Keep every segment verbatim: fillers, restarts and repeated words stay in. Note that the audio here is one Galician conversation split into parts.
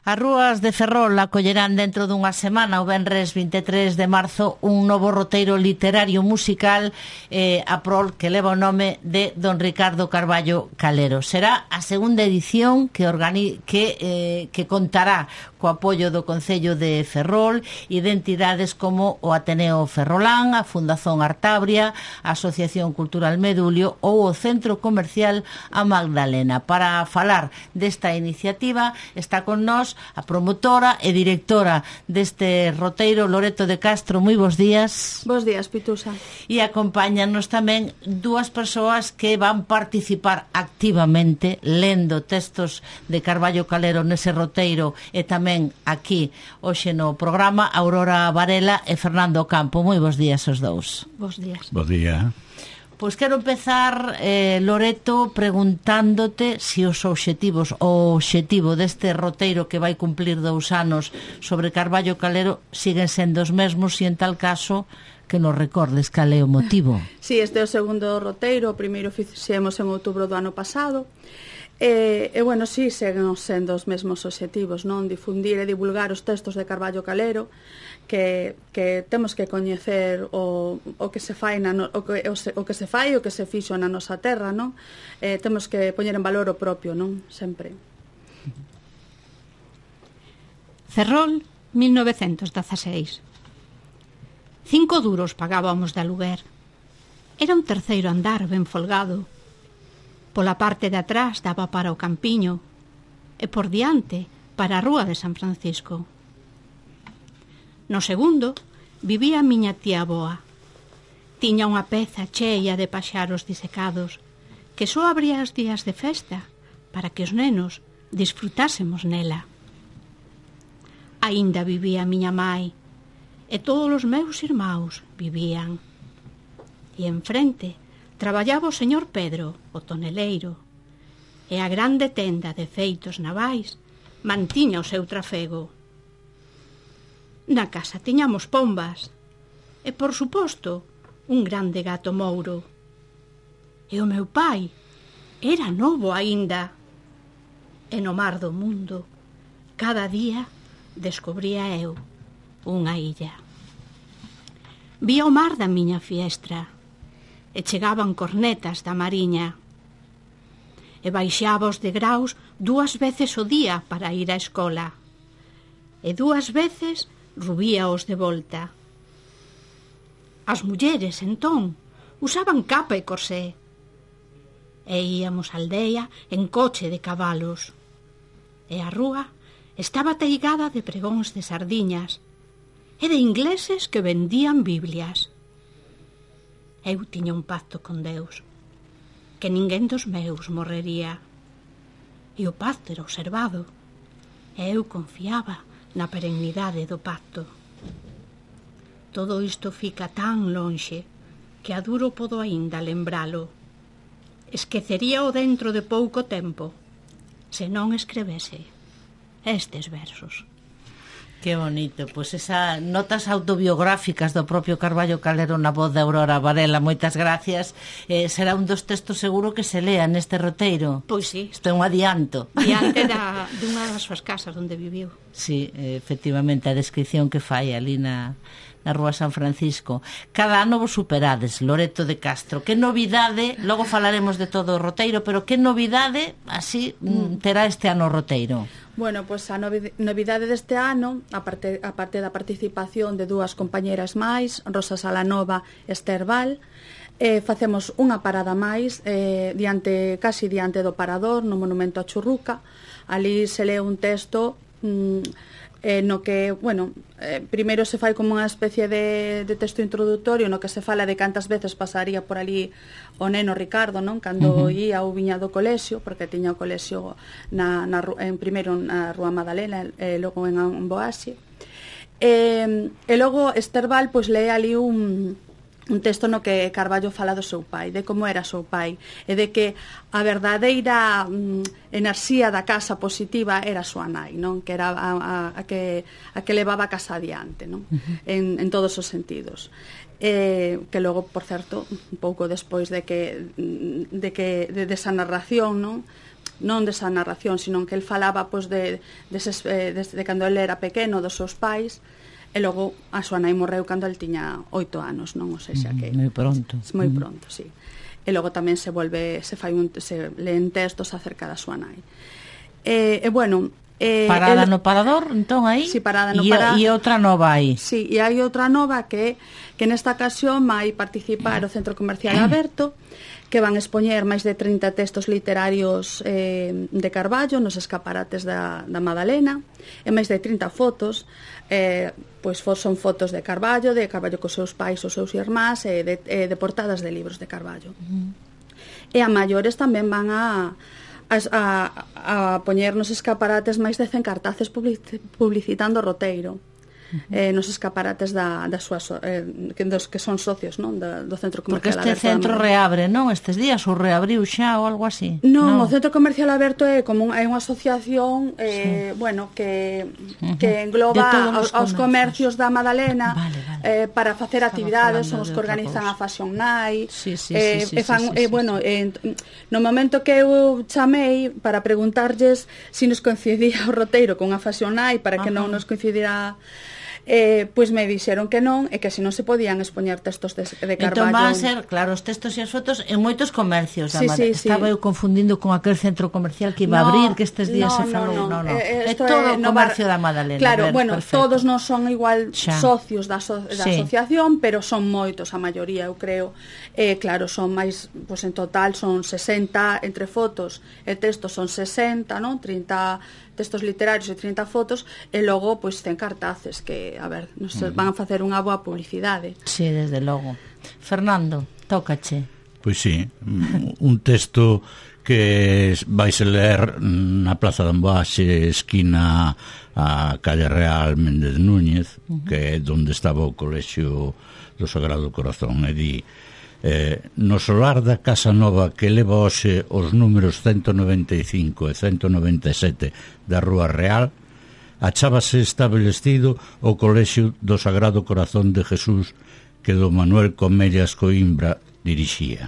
As rúas de Ferrol acollerán dentro dunha semana, o venres vinte e tres de marzo, un novo roteiro literario musical eh, a prol que leva o nome de don Ricardo Carballo Calero. Será a segunda edición que, organi que, eh, que contará co apoio do Concello de Ferrol e de entidades como o Ateneo Ferrolán, a Fundación Artabria, a Asociación Cultural Medulio ou o Centro Comercial A Magdalena. Para falar desta iniciativa está con nós a promotora e directora deste roteiro, Loreto de Castro. Moi bons días. Bos días, Pitusa. E acompáñanos tamén dúas persoas que van participar activamente lendo textos de Carballo Calero nese roteiro e tamén aquí hoxe no programa, Aurora Varela e Fernando Campo. Moi bons días os dous. Bos días. Bos días. Pois quero empezar, eh, Loreto, preguntándote se os obxectivos, o obxectivo deste roteiro que vai cumplir dous anos sobre Carballo Calero siguen sendo os mesmos, e en tal caso que nos recordes cal é o motivo. Sí, este é o segundo roteiro, o primeiro fixemos en outubro do ano pasado. E, e bueno, sí, seguen sendo os mesmos obxectivos, non? Difundir e divulgar os textos de Carballo Calero, que, que temos que coñecer o, o que se fai na no, o, que, o, se, o que se fai, o que se fixo na nosa terra, non? Eh, temos que poñer en valor o propio, non? Sempre. Ferrol, mil novecentos dezaseis. Cinco duros pagábamos de aluguer. Era un terceiro andar ben folgado. Pola parte de atrás daba para o campiño e por diante para a rúa de San Francisco. No segundo vivía a miña tía Boa. Tiña unha peza cheia de paxaros disecados que só abría os días de festa para que os nenos disfrutásemos nela. Aínda vivía a miña mai e todos os meus irmáns vivían. E enfrente traballaba o señor Pedro, o toneleiro, e a grande tenda de feitos navais mantiña o seu trafego. Na casa tiñamos pombas e, por suposto, un grande gato mouro. E o meu pai era novo aínda. E no mar do mundo, cada día descubría eu unha illa. Vía o mar da miña fiestra e chegaban cornetas da mariña. E baixaba os degraus dúas veces o día para ir á escola. E dúas veces rubíaos de volta. As mulleres, entón, usaban capa e corsé. E íamos á aldea en coche de cabalos. E a rúa estaba teigada de pregóns de sardiñas e de ingleses que vendían biblias. Eu tiña un pacto con Deus, que ninguén dos meus morrería. E o pacto era observado, e eu confiaba na perennidade do pacto. Todo isto fica tan lonxe que a duro podo aínda lembralo. Esqueceríao dentro de pouco tempo se non escrevese estes versos. Que bonito, pois esa notas autobiográficas do propio Carballo Calero na voz de Aurora Varela. Moitas gracias. Eh, será un dos textos seguro que se lea neste roteiro. Pois sí. Isto é un adianto. Diante da, dunha das súas casas onde viviu. Sí, efectivamente, a descripción que fai ali na, na Rúa San Francisco. Cada ano vos superades, Loreto de Castro. Que novidade, logo falaremos de todo o roteiro, pero que novidade así mm. terá este ano o roteiro? Bueno, pois a novidade deste ano, a parte, a parte da participación de dúas compañeras máis, Rosa Salanova e Esther Val, eh, facemos unha parada máis eh, diante, casi diante do parador, no Monumento a Churruca. Ali se lee un texto mm, eh, no que, bueno, eh, primeiro se fai como unha especie de, de texto introductorio no que se fala de cantas veces pasaría por ali o neno Ricardo, non? Cando uh -huh. ia ou viña do colexio, porque tiña o colexio na, na, en primeiro na Rúa Madalena e logo en Amboaxe. E, e logo Esther Val pois lee ali un un texto no que Carballo fala do seu pai, de como era o seu pai, e de que a verdadeira mm, enerxía da casa positiva era a súa nai, non? Que era a, a, a, que, a que levaba a casa adiante, non? Uh -huh. en, en todos os sentidos. Eh, que logo, por certo, un pouco despois de que de que de, de esa narración, non? non desa narración, sino que el falaba pois, de, de, ses, eh, de, de cando ele era pequeno, dos seus pais, e logo a súa nai morreu cando el tiña oito anos, non? O sexa que moi pronto. Moi pronto, sí. E logo tamén se volve, se fai un, se leen textos acerca da súa nai. E, e bueno, Eh, parada el, no parador, entón aí. Sí, parada no e, parador. E outra nova aí. Sí, e hai outra nova que que nesta ocasión vai participar o Centro Comercial Aberto, que van expoñer máis de trinta textos literarios eh, de Carballo nos escaparates da, da Madalena, e máis de trinta fotos, eh, pois son fotos de Carballo, de Carballo cos seus pais, os seus irmás, e de, eh, de portadas de libros de Carballo. Uh-huh. E a maiores tamén van a A, a, a poñer nos escaparates máis de cen cartaces publicitando o roteiro. Uh-huh. eh, nos escaparates da, da súa so, eh, que, dos que son socios, non? Da, do Centro Comercial Aberto. Porque este centro reabre, non? Estes días ou reabriu xa ou algo así? Non, no. O Centro Comercial Aberto é como un, é unha asociación eh, sí. bueno, que, uh-huh. que engloba aos, aos comercios da Madalena, vale, vale. Eh, para facer Estaba actividades, son os que organizan a Fashion Night. Sí, sí, eh, sí, sí, e fan, sí, sí, eh, bueno, sí. Eh, no momento que eu chamei para preguntarlles se si nos coincidía o roteiro con a Fashion Night, para que Ajá. non nos coincidira, Eh, pois me dixeron que non, e que se non se podían expoñer textos de, de Carballo. Entón van a ser, claro, os textos e as fotos en moitos comercios da sí, Madalena. Sí, Estaba sí. eu confundindo con aquel centro comercial que iba no, a abrir, que estes días no, se falou. No, no, no, no. Eh, é todo o comercio va... da Madalena. Claro, ver, bueno, perfecto. todos non son igual Xa. socios da, so, da sí. asociación, pero son moitos, a maioría, eu creo. Eh, claro, son máis, pois en total son sesenta, entre fotos e textos son sesenta, non? trinta textos literarios e trinta fotos, e logo pois cen cartaces que, a ver, nos uh-huh. van a facer unha boa publicidade. Sí, desde logo. Fernando, tócache. Pois sí, un texto que vais a ler na Plaza de Amboaxe, esquina a Calle Real Méndez Núñez, uh-huh. que é onde estaba o Colexio do Sagrado Corazón, e di Eh, no solar da Casa Nova que leva hoxe os números ciento noventa e cinco e ciento noventa e sete da Rúa Real, achábase establecido o Colexio do Sagrado Corazón de Jesús que do Manuel Comellas Coimbra dirixía.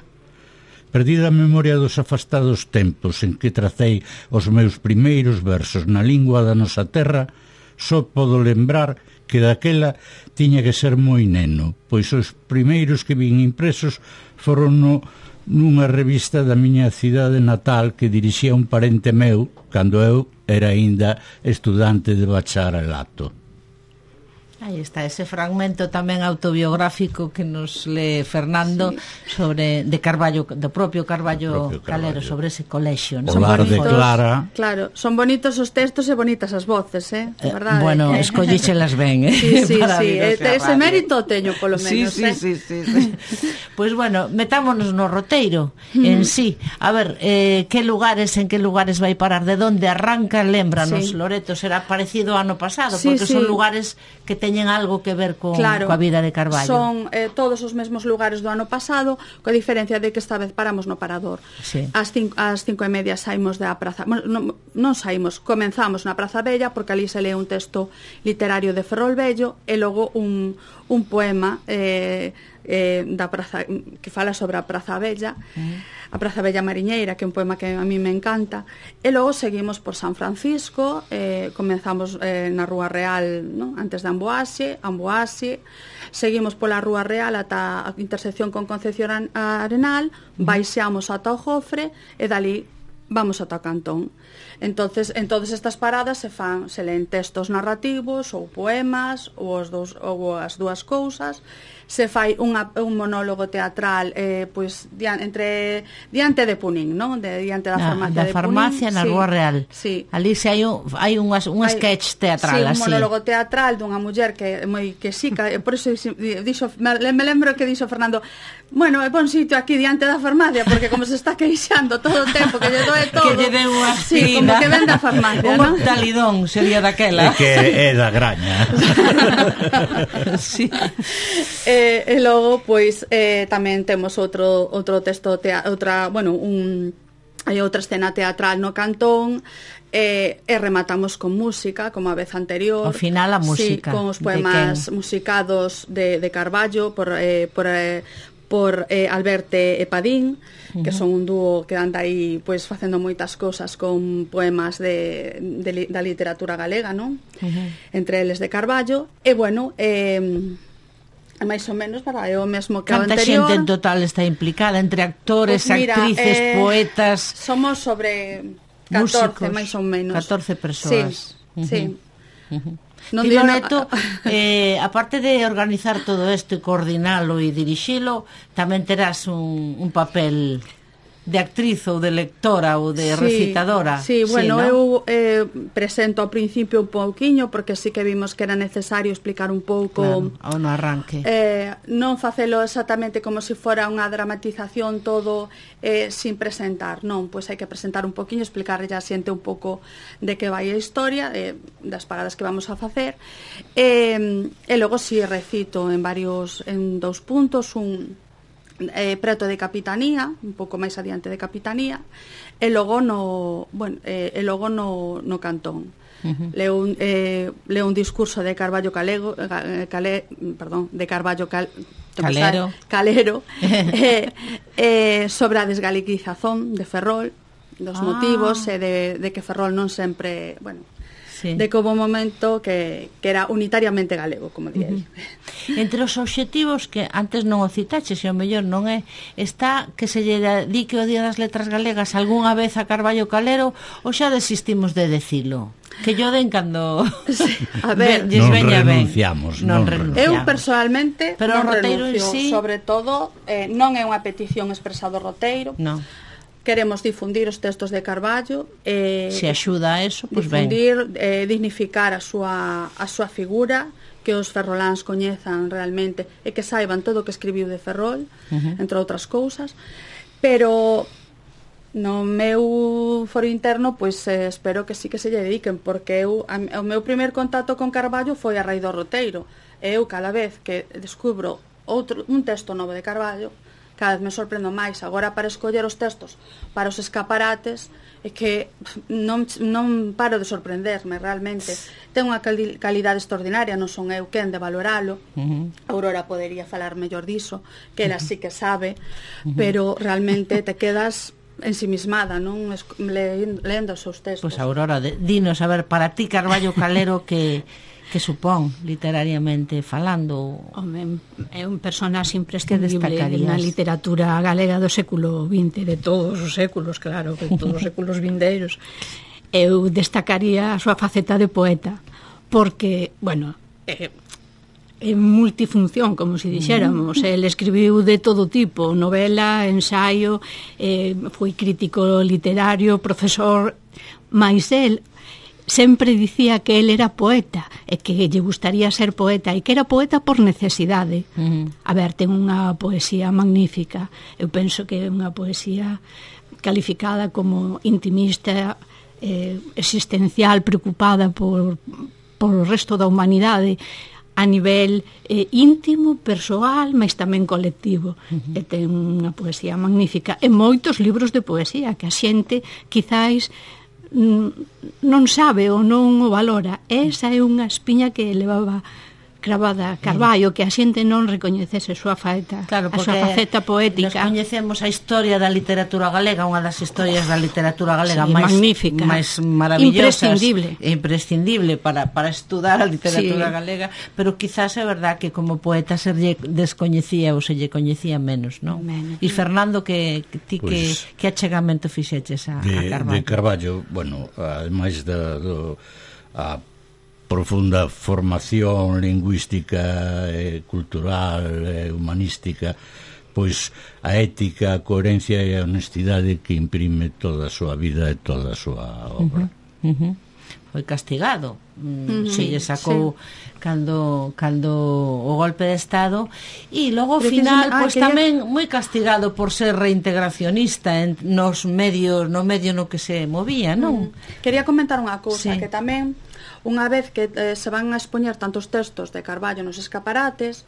Perdida a memoria dos afastados tempos en que tracei os meus primeiros versos na lingua da nosa terra, só podo lembrar que daquela tiña que ser moi neno, pois os primeiros que vin impresos foron no, nunha revista da miña cidade natal que dirixía un parente meu cando eu era aínda estudante de bacharelato. Aí está ese fragmento tamén autobiográfico que nos lee Fernando, sí. sobre de Carballo, do propio Carballo, propio Carballo. Calero, sobre ese colexio, ¿no? O lar de Clara. Claro, son bonitos os textos e bonitas as voces, eh? eh verdade. Bueno, eh? escollíxelas ben, eh? Sí, sí, sí, ese mérito teño polo menos, sí, eh? Sí, sí, sí, sí. Pois pues bueno, metámonos no roteiro mm. en sí. A ver, eh, que lugares, en que lugares vai parar, de onde arranca, lémbranos, sí. Loreto, será parecido ao ano pasado, sí, porque sí. son lugares que teñen algo que ver con, claro, coa vida de Carballo. Son eh, todos os mesmos lugares do ano pasado, coa diferencia de que esta vez paramos no Parador. Sí. Ás cinco, ás cinco e media saímos da praza, bueno, non, non saímos, comenzamos na Praza Bella, porque ali se lee un texto literario de Ferrol Bello e logo un, un poema eh, eh, da praza, que fala sobre a Praza Bella, mm. a Praza Bella Mariñeira, que é un poema que a mí me encanta, e logo seguimos por San Francisco, eh, comenzamos eh, na Rúa Real, ¿no? Antes de Amboaxe, Amboaxe, seguimos pola Rúa Real ata a intersección con Concepción Arenal, mm. baixamos ata o Jofre e dali vamos ata o Cantón. Entonces, en todas estas paradas se fan, se leen textos narrativos ou poemas ou, os dos, ou as dúas cousas. Se fai unha, un monólogo teatral eh, pois, dian, entre, diante de Punín, non? De, diante da farmacia da de farmacia Punín. na Sí, Rúa Real. Sí. Ali se hai un, hai un, un hai, sketch teatral, sí, un así. monólogo teatral dunha muller que é moi que sica, e por iso dixo, me, me lembro que dixo Fernando, bueno, é bon sitio aquí diante da farmacia, porque como se está queixando todo o tempo que lle doe todo. Que lle deu unha sí, como que ven da farmacia, un ¿no? talidón sería daquela. É que é da graña. Sí. Eh, e logo pois eh, tamén temos outro outro texto tea, outra, bueno, un hai outra escena teatral no Cantón. E, e rematamos con música, como a vez anterior. Ao final a música. Sí, con os poemas musicados de, de Carballo por, eh, por, eh, por eh, Alberte e Padín, que son un dúo que anda aí pois facendo moitas cousas con poemas de, de, da literatura galega, non? Uh-huh. Entre eles de Carballo, e bueno, eh, máis ou menos para é o mesmo que o anterior. Canta xente en total está implicada, entre actores, pues mira, actrices, eh, poetas? Somos sobre catorce, máis ou menos. catorce persoas. Sí, uh-huh. sí. Uh-huh. Non Tilo Neto, eh, aparte de organizar todo isto e coordinalo e dirixilo, tamén terás un, un papel de actriz ou de lectora ou de sí, recitadora. Sí, bueno, sí, ¿no? Eu eh, presento ao principio un pouquiño porque sí que vimos que era necesario explicar un pouco claro, ao no arranque. Eh, non facelo exactamente como se si fora unha dramatización todo eh, sin presentar, non, pois hai que presentar un pouquiño, explicarlle a xente un pouco de que vai a historia, eh, das paradas que vamos a facer. Eh, e logo si sí, recito en varios en dous puntos un Eh, preto de Capitanía, un pouco máis adiante de Capitanía, e logo no, bueno, eh, e logo no, no Cantón. Uh-huh. Leo un eh, leo un discurso de Carballo Calego, eh, Cale, perdón, de Carballo Cal, Calero, Calero eh, eh, sobre a desgaliquizazón de Ferrol, dos ah. motivos e eh, de, de que Ferrol non sempre, bueno, sí. de que houve un momento que, que era unitariamente galego, como di uh-huh. Entre os obxectivos que antes non o citaches e o mellor non é, está que se lle dedique o Día das Letras Galegas algunha vez a Carballo Calero ou xa desistimos de decilo? Que yo den cando sí. A ver, non renunciamos, non, non renunciamos. Eu personalmente pero non roteiro renuncio, sí. sobre todo eh, non é unha petición expresada do roteiro. Non. Queremos difundir os textos de Carballo, eh, se axuda a eso, pois pues difundir, eh, dignificar a súa a súa figura, que os ferroláns coñezan realmente e que saiban todo o que escribiu de Ferrol, uh-huh. entre outras cousas, pero no meu foro interno pois eh, espero que sí que se lle dediquen, porque eu, a, o meu primer contacto con Carballo foi a raíz do roteiro, e eu cada vez que descubro outro, un texto novo de Carballo, cada vez me sorprendo máis. Agora para escoller os textos para os escaparates é que non, non paro de sorprenderme realmente. Ten unha cali- calidade extraordinaria, non son eu quen de valoralo. Uh-huh. Aurora podería falar mellor diso, que ela uh-huh. sí que sabe, uh-huh. pero realmente te quedas ensimismada, non? Le, lendo os seus textos. Pois pues Aurora, de, dinos, a ver, para ti Carballo Calero que que supón literariamente falando? Home, é un personaxe imprescindible na literatura galega do século vinte, de todos os séculos, claro, de todos os séculos vindeiros. Eu destacaría a súa faceta de poeta, porque, bueno, é, é multifunción, como se dixéramos. El escribiu de todo tipo, novela, ensaio, eh, foi crítico literario, profesor, mais el sempre dicía que él era poeta e que lle gustaría ser poeta e que era poeta por necesidade. Uh-huh. A ver, ten unha poesía magnífica. Eu penso que é unha poesía calificada como intimista, eh, existencial, preocupada por, por o resto da humanidade a nivel eh, íntimo, persoal, mas tamén colectivo. Uh-huh. E ten unha poesía magnífica e moitos libros de poesía que a xente quizáis non sabe ou non o valora. Esa é unha espiña que levaba cravada Carballo, que a xente non recoñecese a súa faeta, claro, a súa faceta poética. Nos coñecemos a historia da literatura galega, unha das historias da literatura galega sí, máis, magnífica, máis maravillosas, imprescindible, imprescindible para, para estudar a literatura sí. galega, pero quizás é verdad que como poeta se lle descoñecía ou se lle coñecía menos, non? Menos. E Fernando, que, que ti pues, que, que achegamento fixeches a, de, a Carballo? De Carballo, bueno, ademais da do, a profunda formación lingüística e cultural e humanística, pois a ética, a coherencia e a honestidade que imprime toda a súa vida e toda a súa obra. Uh-huh, uh-huh. Foi castigado, uh-huh, se lle sacou sí. cando cando o golpe de estado, e logo ao final ah, pois quería... tamén moi castigado por ser reintegracionista en nos medios, no medio no que se movía, non? Uh-huh. Quería comentar unha cousa, sí. que tamén unha vez que eh, se van a expoñer tantos textos de Carballo nos escaparates,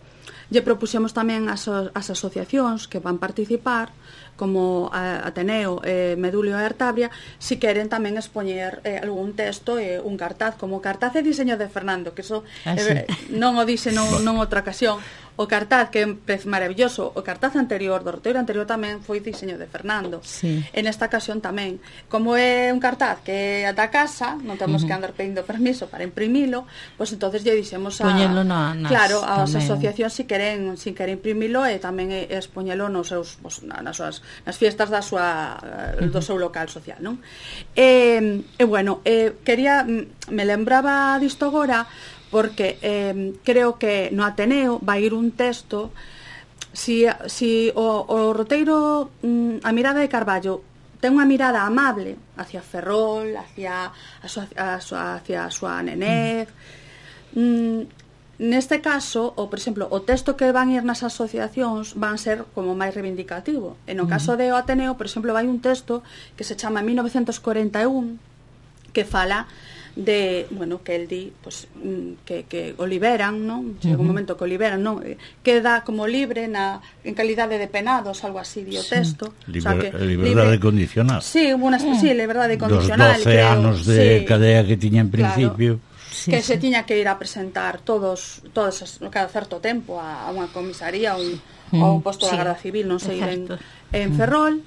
lle propuxemos tamén as, as asociacións que van participar, como a Ateneo, eh, Medulio e Artabria, si queren tamén expoñer eh, algún texto e eh, un cartaz, como cartaz e diseño de Fernando, que eso ah, sí. eh, non o dixe non, non outra ocasión. o cartaz que é maravilloso, o cartaz anterior do roteiro anterior tamén foi diseño de Fernando. Sí. En esta ocasión tamén, como é un cartaz que é da casa, non temos uh-huh. que andar pedindo permiso para imprimilo, pois pues entonces lle dixemos a poñelo na, nas, claro, as tamén. asociacións si queren, si queren imprimilo e tamén é expoñelo nos seus pues, nas súas nas fiestas da súa uh-huh. do seu local social, non? E, e bueno, eh, quería me lembraba disto agora porque eh, creo que no Ateneo vai ir un texto si, si o, o roteiro mm, a mirada de Carballo ten unha mirada amable hacia Ferrol, hacia a súa, a súa, hacia a súa nenez mm, neste caso, o, por exemplo, o texto que van ir nas asociacións van ser como máis reivindicativo e no caso de o Ateneo, por exemplo, vai un texto que se chama mil novecientos cuarenta e un que fala de, bueno, que el di pues, que, que o liberan, non? Chega un momento que o liberan, non? Queda como libre na, en calidade de penados, algo así, di o texto. Liber, o sea, que, liberdade libre, condicional. Sí, una, mm. sí, liberdade condicional. Dos doce creo, anos de sí, cadea que tiña en principio. Claro, sí, que sí. se tiña que ir a presentar todos, todos cada certo tempo a, a unha comisaría ou mm. un posto sí, da Garda Civil, non sei, en, en Ferrol.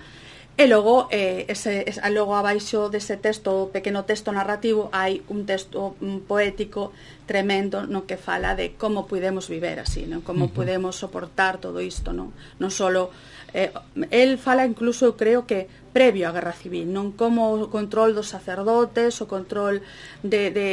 E logo, eh, ese, ese, logo abaixo dese texto, pequeno texto narrativo, hai un texto un poético tremendo no que fala de como podemos viver así, non? Como uh-huh. podemos soportar todo isto, non? Non solo eh, el fala incluso, eu creo que previo á Guerra Civil, non como o control dos sacerdotes, o control de, de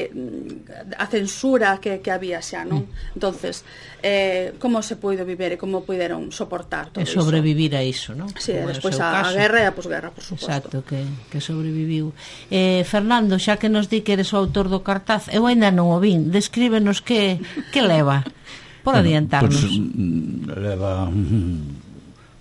a censura que, que había xa, non? Entonces, eh, como se puido viver e como puderon soportar todo iso. E sobrevivir a iso, non? Sí, despois a, a guerra e a posguerra, por suposto. Exacto, que, que sobreviviu. Eh, Fernando, xa que nos di que eres o autor do cartaz, eu ainda non o vin, descríbenos que, que leva, por bueno, adiantarnos. Pues, leva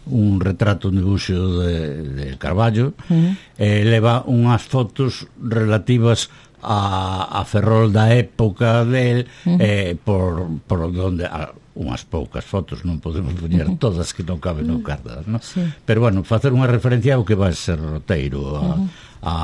un retrato, un dibuixo de, de Carballo, uh-huh. eh, leva unhas fotos relativas a, a Ferrol da época del, uh-huh. eh, por, por donde a, unhas poucas fotos, non podemos poñer uh-huh. todas que non caben no cartaz, non? Sí. Pero bueno, facer unha referencia ao que vai ser roteiro, a, uh-huh. a,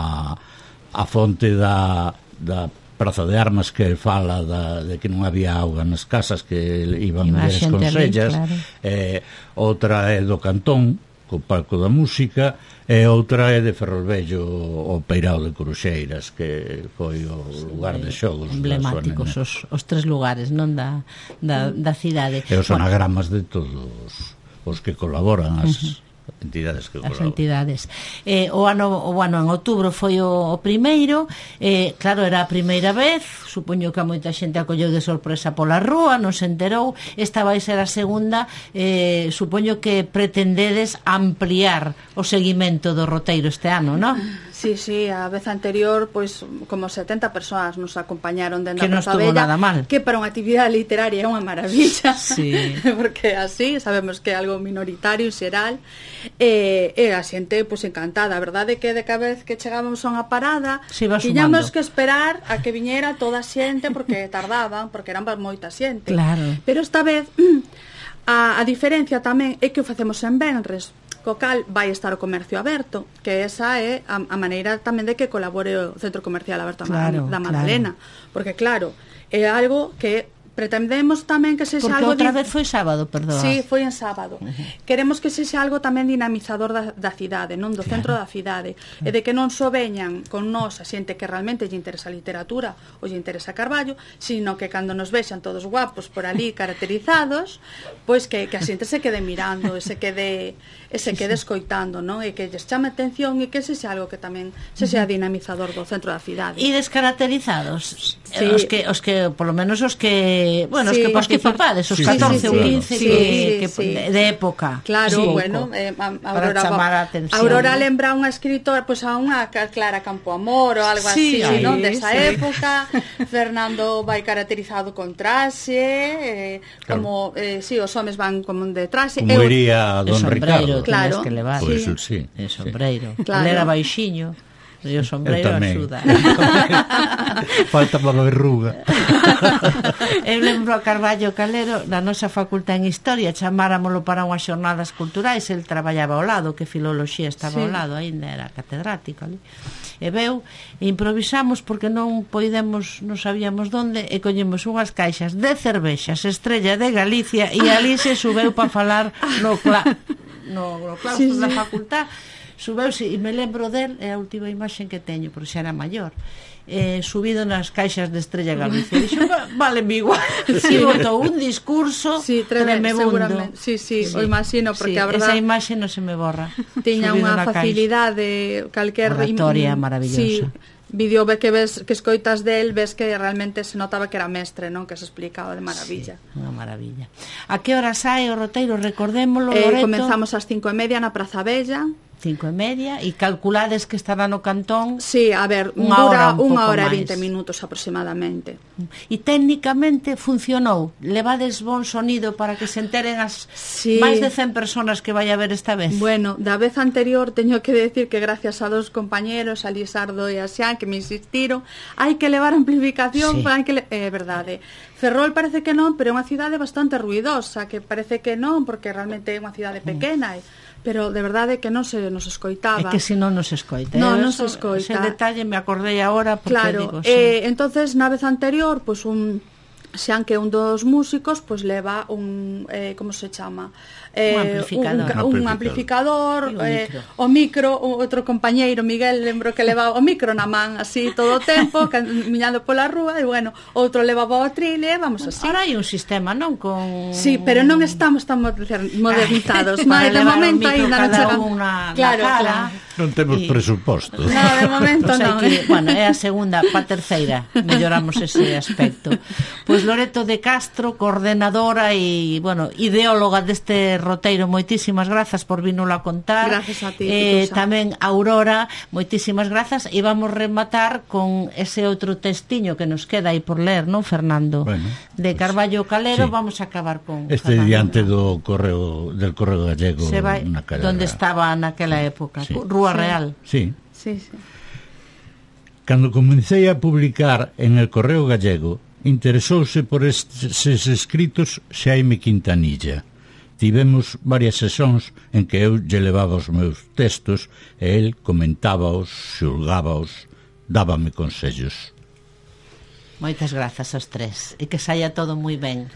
a fonte da, da Praza de Armas que fala da, de que non había auga nas casas, que iban mulleres con sellas, claro. eh, outra é do Cantón, co palco da música, e outra é de Ferrolvello, o Peirao de Coruxeiras, que foi o lugar sí, de xogos emblemáticos, os, os tres lugares, non da, da, da cidade. E os bueno. anagramas de todos os que colaboran, as... Uh-huh. entidades que as entidades. Eh, o ano o ano en outubro foi o, o primeiro, eh, claro, era a primeira vez, supoño que a moita xente acolleu de sorpresa pola rúa, non se enterou. Esta vai ser a segunda, eh, supoño que pretendedes ampliar o seguimento do roteiro este ano, non? Sí, sí, a vez anterior, pois, como setenta persoas nos acompañaron dentro da Praza Bella, nada mal. Que para unha actividade literaria é unha maravilla, sí. porque así sabemos que é algo minoritario, xeral, e, e a xente, pois, encantada. A verdade é que de cada vez que chegábamos a unha parada, tiñamos que esperar a que viñera toda a xente, porque tardaban, porque eran moita xente. Claro. Pero esta vez, a, a diferencia tamén é que o facemos en venres, co cal vai estar o comercio aberto, que esa é a, a maneira tamén de que colabore o Centro Comercial Aberto claro, da Madalena, claro. Porque claro, é algo que pretendemos tamén que sexa porque algo... Porque outra vez foi sábado, perdón. Sí, foi en sábado. Uh-huh. Queremos que sexa algo tamén dinamizador da, da cidade, non do claro. centro da cidade, uh-huh. e de que non só veñan con nós a xente que realmente lle interesa a literatura ou lle interesa Carballo, sino que cando nos vexan todos guapos por ali caracterizados, pois que, que a xente se quede mirando, e se quede, e se quede escoitando, non? E que lles chame atención e que sexa algo que tamén sexa uh-huh. dinamizador do centro da cidade. E descaracterizados? Sí. Os que, os que, por lo menos os que bueno, sí, os que participades, os sí, catorce ou sí, quince sí, que, sí, que sí. De, de época. Claro, sí, bueno, eh, a, a para Aurora, chamar a atención. Aurora lembra unha escritora, pois pues, a unha Clara Campoamor ou algo sí, así, sí, non? Desa sí. época. Fernando vai caracterizado con traxe, eh, claro. como eh, si sí, os homes van como de traxe. Como iría Don Ricardo. Claro, que levar. Pues, sí. El sombreiro. Claro. Él era baixiño. E o sombreiro axuda. Falta para a verruga. Eu lembro a Carballo Calero na nosa facultad en Historia, chamáramolo para unhas xornadas culturais, el traballaba ao lado, que filoloxía estaba Sí. ao lado, aínda era catedrático ali. E veu, e improvisamos porque non poidemos, non sabíamos onde, e collemos unhas caixas de cervexas Estrella de Galicia, e ali se subeu para falar no, cla no, no claustro Sí, sí. da facultad. Subeuse, e me lembro del, é a última imaxe que teño, porque xa era maior, eh, subido nas caixas de Estrella Galicia. Dixo, vale, mi igual. Sí, botou un discurso Sí, treme, tremebundo. seguramente. Sí, sí, o imagino, porque sí, a verdad esa imaxe non se me borra. tiña Subido unha na caixa. facilidade, calquer Oratoria im- maravillosa. Sí, vídeo ve que ves que escoitas del, ves que realmente se notaba que era mestre, non? Que se explicaba de maravilla. Sí, unha maravilla. A que hora sai o roteiro? Recordémolo, Eh, Loreto. comenzamos ás cinco e media na Praza Bella. Cinco e media, e calculades que estará no cantón. Sí, a ver, Unha dura hora, un unha pouco hora e máis. vinte minutos aproximadamente. E técnicamente funcionou. Levades bon sonido para que se enteren as Sí. máis de cen personas que vai a ver esta vez. Bueno, da vez anterior teño que decir que gracias a dos compañeros, a Lisardo e a Xan, que me insistiron, hai que levar amplificación, Sí. hai que le... é verdade. Ferrol parece que non, pero é unha cidade bastante ruidosa, que parece que non, porque realmente é unha cidade pequena, e... pero de verdade que non se nos escoitaba. É que se non nos escoita. No, Eu non eso- se escoita. Ese detalle me acordei agora porque Claro, digo, sí. eh, entonces na vez anterior, pois pues, un Xan, que é un dos músicos, pois pues, leva un eh, como se chama? Eh, Un amplificador. un, un, Un amplificador, E o eh, micro. o micro, o outro compañeiro Miguel, lembro que levaba o micro na man así todo o tempo, camiñando pola rúa, e bueno, outro levaba o atril, e vamos así. Ahora hai un sistema, non? Con... Sí, pero non estamos tan moder- modernizados. Ai, Mas para de levar o momento micro ainda non cada chegan. un na, Claro, na cara. claro. Non temos Y- presuposto. No, de momento Pues hai non. que, bueno, é a segunda, pa terceira melloramos ese aspecto. Pois Loreto de Castro, coordenadora e, bueno, ideóloga deste roteiro, moitísimas grazas por vínolo a contar. Gracias a ti, eh, Pitusa. tamén Aurora, moitísimas grazas, e vamos rematar con ese outro testiño que nos queda aí por ler, non, Fernando? Bueno, de Carballo Calero, sí. vamos a acabar con Este Fernando. diante do correo del correo gallego Se vai na calle donde Real. estaba naquela época, Sí. Rúa Sí. Real. Sí. Sí, sí. Cando comecei a publicar en el correo gallego, interesouse por estes escritos Xaime Quintanilla. Tivemos varias sesións en que eu lle levaba os meus textos e el comentábaos, xulgábaos, dábame consellos. Moitas grazas aos tres e que saia todo moi ben.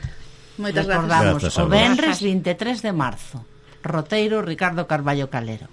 Moitas gracias. Recordamos Grazas, o Alba. venres vinte e tres de marzo. Roteiro Ricardo Carballo Calero.